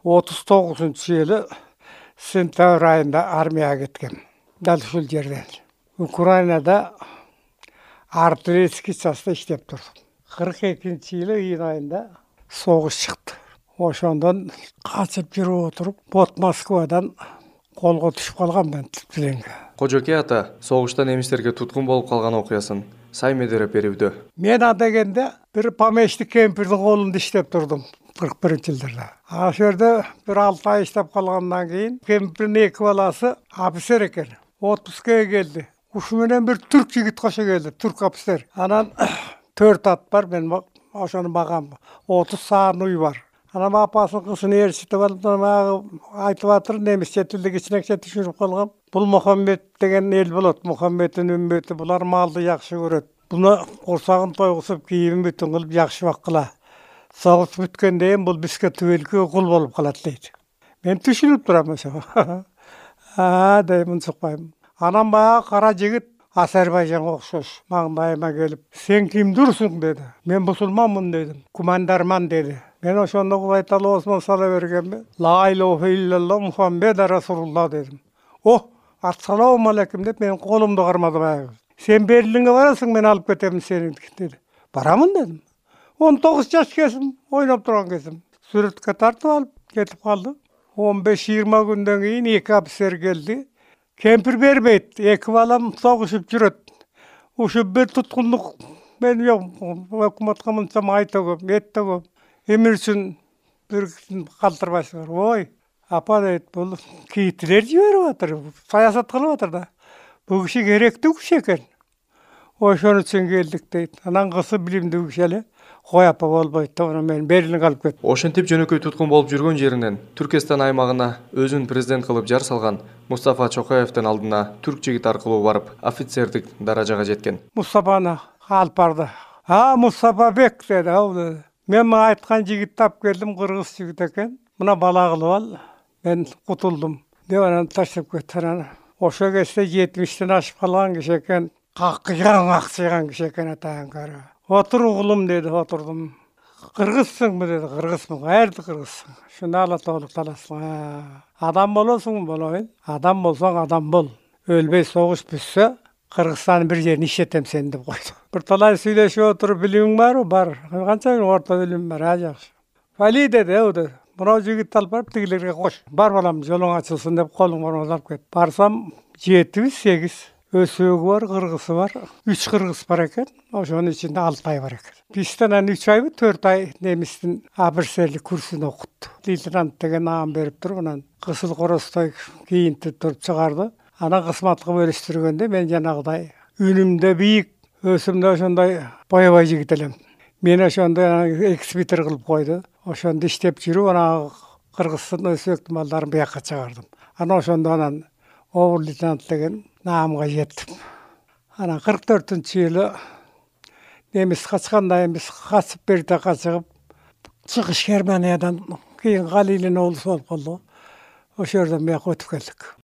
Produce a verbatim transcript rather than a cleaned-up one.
отуз тогузунчу жылы сентябрь айында армияга кеткем. Дал ушул жерден. Украинада артиллерийский частта иштеп турдум. кырк экинчи жылы июнь айында согуш чыкты. Ошондон качып жүрүп отуруп, вот Москвадан колго түшүп калганмын тиленге. Кожоке ата согушта немистерге туткун болуп калган окуясын сай медереп берүүдө. Мен анда келгенде бир помещик кемпирдин колунда иштеп турдум кырк биринчи жылдарда. Ал жерде бир алты ай иштеп калгандан кийин кемпирдин эки баласы офицер экен. отпускага келди. Ушу менен бир түрк жигит кошо келди, түрк офицер. Анан төрт ат бар, мен ошону багам. отуз саан уй бар. Анан апасынын кызын ээрчитип алып, айтып атыр, немисче тилди кичинекче түшүнүп калгам. Бул Мухаммед деген эл болот, Мухаммеддин үммөтү, булар малды жакшы көрөт. Буну курсагын тойгузуп, кийимин бүтүн кылып жакшы баккыла. Согуш бүткөндөн кийин бул бизге түбөлүккө кул болуп калат дейт. Мен түшүнүп турам ошого. А, дейм, чыкпайм. Анан баягы кара жигит Азербайжанга окшош маңдайыма келип, сен кимдирсиң деди. Мен мусулманмын дедим. Кумандарман деди. Мен ошондо Кудай таала осмон сала бергенби, ла илаха иллаллах Мухаммед расулуллах дедим. О, ассаламу алейкум деп мен колумду кармады баягы. Сен Берлинге барасың, мен алып кетем сени деди. Барамын дедим. он тогуз жаш кезим, ойноп турган кезим. Сүрөткө тартып алып кетип калды. он беш жыйырма күндөн кийин эки офицер келди. Кемпир бербейт, эки балам согушуп жүрөт. Ушу бир туткунлук мен жок, өкмөткө мынча май төгөм, эт төгөм. Эмне үчүн бир калтырбайсыңар? Ой, апа дейт, бул кийитилер жиберип атыр, саясат кылып атыр да. Бул киши керектүү киши экен. Ошон үчүн келдик дейт. Анан кызы билимдүү киши эле. Кой апа болбойт деп анан мени Берлинге алып кетти. Ошентип жөнөкөй туткун болуп жүргөн жеринен Түркистан аймагына өзүн президент кылып жар салган Мустафа Чокаевдин алдына түрк жигит аркылуу барып, офицердик даражага жеткен. Мустафаны алып барды. А, Мустафа бек деди, ал. Мен айткан жигитти алып келдим, кыргыз жигит экен. Мына бала кылып ал, мен кутулдум деп анан таштап кетти. Ошо кезде жетимиштен ашып калган киши экен. Какыган, акчыган киши экен атаңкары. Отур угулум деди, отурдум. Кыргызсыңбы деди, кыргызмын. Каерде кыргызсың? Шуна ала толук таласың. Адам болосуңбу? Болобун. Адам болсоң адам бол. Өлбөй согуш бүтсө, Кыргызстандын бир жерин иштетем сени деп койду. Бир талай сүйлөшүп отуруп, билимиң барбы? Бар. Канча орто билим бар, а жакшы. Вали деди, о деди. Мына жигитти алып барып тигилерге кош. Бар балам, жолуң ачылсын деп колуңан алып кетти. Барсам жети сегиз өсөгү бар, кыргызы бар. үч кыргыз бар экен. Ошонун ичинде алты ай бар экен. Бизден анан үч айбы, төрт ай немистин офицерлик курсун окутту. Лейтенант деген наам берип туруп, анан кызыл коростой кийинтип туруп чыгарды. Анан кызматка бөлүштүргөндө мен жанагыдай үнүмдө бийик, өсүмдө ошондой боебай жигит элем. Мени ошондо экспитер кылып койду. Ошондо иштеп жүрүп, анан кыргыздын өсөктү малдарын буякка чыгардым. Анан ошондо анан обер лейтенант деген наамга жеттим. Анан кырк төртүнчү жылы немис качканда эмес, качып берде качыгып, чыгыш Германиядан кийин Галилин облусу болуп калды. Ошол жерден бияка өтүп келдик.